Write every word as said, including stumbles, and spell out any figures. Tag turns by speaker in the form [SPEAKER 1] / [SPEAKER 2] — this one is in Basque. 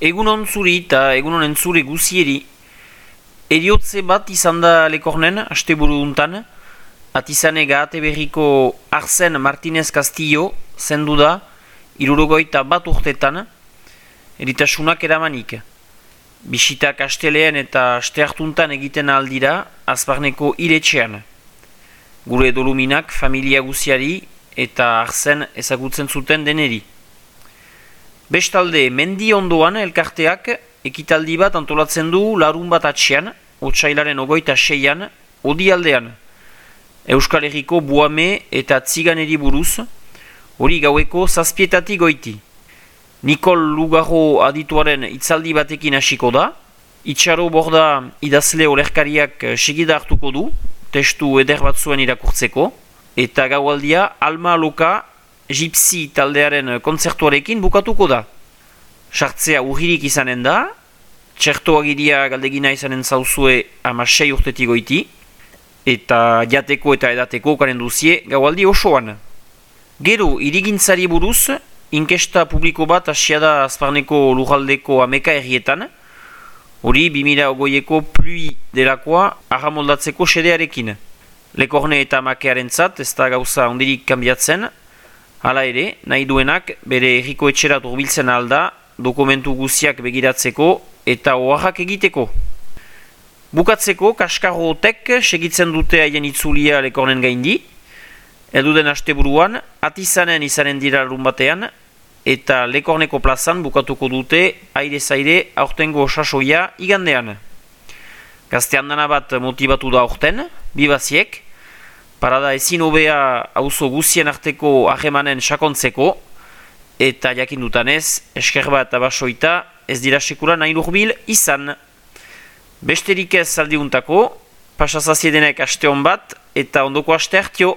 [SPEAKER 1] Egunon zuri eta egunon entzure guzieri, eriotze bat izan da Lekornen, asteburu duntan, atizane gahate berriko Arsen Martinez Castillo zendu da, irurogoita bat urtetan, eritasunak eramanik. Bisitak asteleen eta aste hartuntan egiten aldira, azparneko iretxean. Gure doluminak familia guziari eta Arsen ezagutzen zuten deneri. Bestalde, mendi ondoan elkarteak ekitaldi bat antolatzen du larun bat atxean, otsailaren ogoita seian, odi aldean. Euskal Herriko buame eta tziganeri buruz, hori gaueko zazpietatik goiti. Nikol Lugarro adituaren itzaldi batekin hasiko da, Itxaro Borda idazle olerkariak segida hartuko du, testu eder batzuen irakurtzeko, eta gaualdia Alma Loka Gypsy taldearen kontzertuarekin bukatuko da. Sartzea urririk izanen da, txertoagiria galdegina izanen zauzue amasei urtetik goiti, eta jateko eta edateko karen duzie gaualdi osoan. Gero, irigintzari buruz, inkesta publiko bat hasia da azparneko lujaldeko ameka herrietan, hori bi mila hogeieko plui delakoa ahamoldatzeko sedearekin. Lekorne eta makearentzat ez da gauza ondirik kanbiatzen, hala ere, nahi duenak bere herriko etxerat urbiltzen alda dokumentu guziak begiratzeko eta oaxak egiteko. Bukatzeko, kaskarrotek segitzen dute haien itzulia Lekornen gaindi, elduden asteburuan, atizanen izanen dira larun batean, eta Lekorneko plazan bukatuko dute aire-zaire aurtengo sasoia igandean. Gaztean dana bat motibatu da aurten, bibaziek, parada ezin hobea auzo guzien arteko ahemanen sakontzeko, eta jakin dutanez, esker bat abasoita ez dira sekula nahi lurbil izan. Besterik ez aldiuntako, pasazaziedenek aste hon bat, eta ondoko aste hartio.